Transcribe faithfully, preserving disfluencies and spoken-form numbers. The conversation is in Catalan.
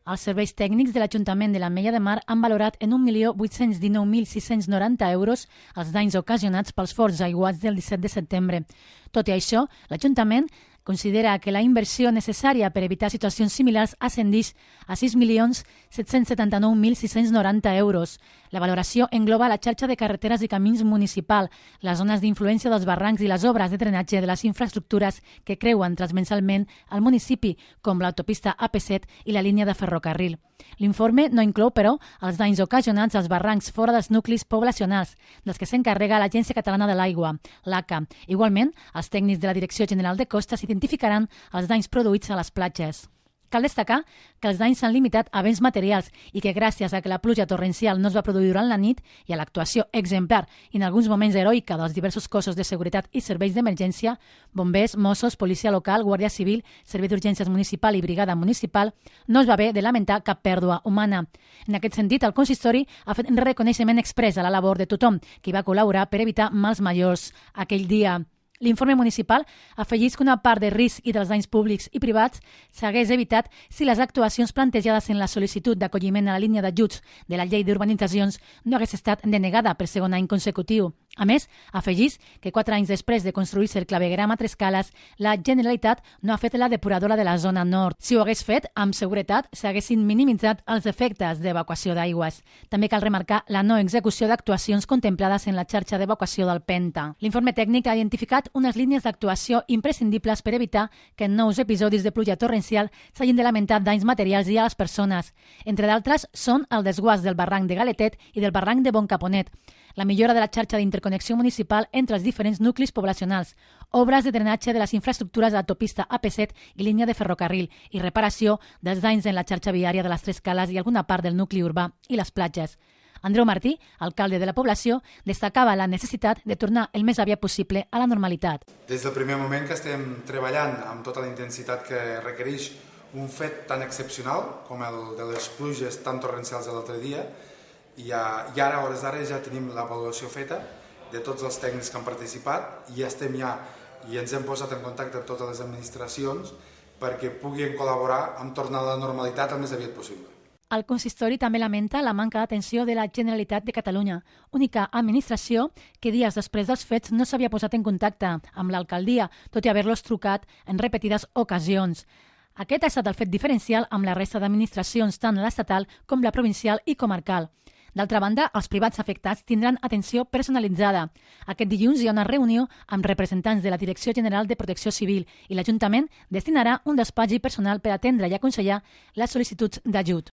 Els serveis tècnics de l'Ajuntament de l'Ametlla de Mar han valorat en un milió vuit-cents dinou mil sis-cents noranta euros els danys ocasionats pels forts aiguats del disset de setembre. Tot i això, l'Ajuntament considera que la inversió necessària per evitar situacions similars ascendeix a sis milions set-cents setanta-nou mil sis-cents noranta euros. La valoració engloba la xarxa de carreteres i camins municipal, les zones d'influència dels barrancs i les obres de drenatge de les infraestructures que creuen transversalment el municipi, com l'autopista A P set i la línia de ferrocarril. L'informe no inclou, però, els danys ocasionats als barrancs fora dels nuclis poblacionals, dels que s'encarrega l'Agència Catalana de l'Aigua, l'A C A. Igualment, els tècnics de la Direcció General de Costes identificaran els danys produïts a les platges. Cal destacar que els danys s'han limitat a béns materials i que gràcies a que la pluja torrencial no es va produir durant la nit i a l'actuació exemplar i en alguns moments heroica dels diversos cossos de seguretat i serveis d'emergència, bombers, Mossos, policia local, guàrdia civil, servei d'urgències municipal i brigada municipal, no es va haver de lamentar cap pèrdua humana. En aquest sentit, el consistori ha fet un reconeixement exprés a la labor de tothom que hi va col·laborar per evitar mals majors aquell dia. L'informe municipal afegeix que una part de risc i dels danys públics i privats s'hagués evitat si les actuacions plantejades en la sol·licitud d'acolliment a la línia d'ajuts de la llei d'urbanitzacions no hagués estat denegada per segon any consecutiu. A més, afegeix que quatre anys després de construir-se el clavegueram a tres cales, la Generalitat no ha fet la depuradora de la zona nord. Si ho hagués fet, amb seguretat s'haguessin minimitzat els efectes d'evacuació d'aigües. També cal remarcar la no execució d'actuacions contemplades en la xarxa d'evacuació del Penta. L'informe tècnic ha identificat unes línies d'actuació imprescindibles per evitar que en nous episodis de pluja torrencial s'hagin de lamentar danys materials i a les persones. Entre d'altres, són el desguàs del barranc de Galetet i del barranc de Boncaponet, la millora de la xarxa d'interconnexió municipal entre els diferents nuclis poblacionals, obres de drenatge de les infraestructures d'autopista A P set i línia de ferrocarril i reparació dels danys en la xarxa viària de les tres cales i alguna part del nucli urbà i les platges. Andreu Martí, alcalde de la població, destacava la necessitat de tornar el més aviat possible a la normalitat. Des del primer moment que estem treballant amb tota la intensitat que requereix un fet tan excepcional com el de les pluges tan torrencials de l'altre dia, i ara, a hores d'ara, ja tenim l'avaluació feta de tots els tècnics que han participat i estem ja i ens hem posat en contacte amb totes les administracions perquè puguin col·laborar amb tornar a la normalitat el més aviat possible. El consistori també lamenta la manca d'atenció de la Generalitat de Catalunya, única administració que dies després dels fets no s'havia posat en contacte amb l'alcaldia, tot i haver-los trucat en repetides ocasions. Aquest ha estat el fet diferencial amb la resta d'administracions, tant l'estatal com la provincial i comarcal. D'altra banda, els privats afectats tindran atenció personalitzada. Aquest dilluns hi ha una reunió amb representants de la Direcció General de Protecció Civil i l'Ajuntament destinarà un despatx personal per atendre i aconsellar les sol·licituds d'ajut.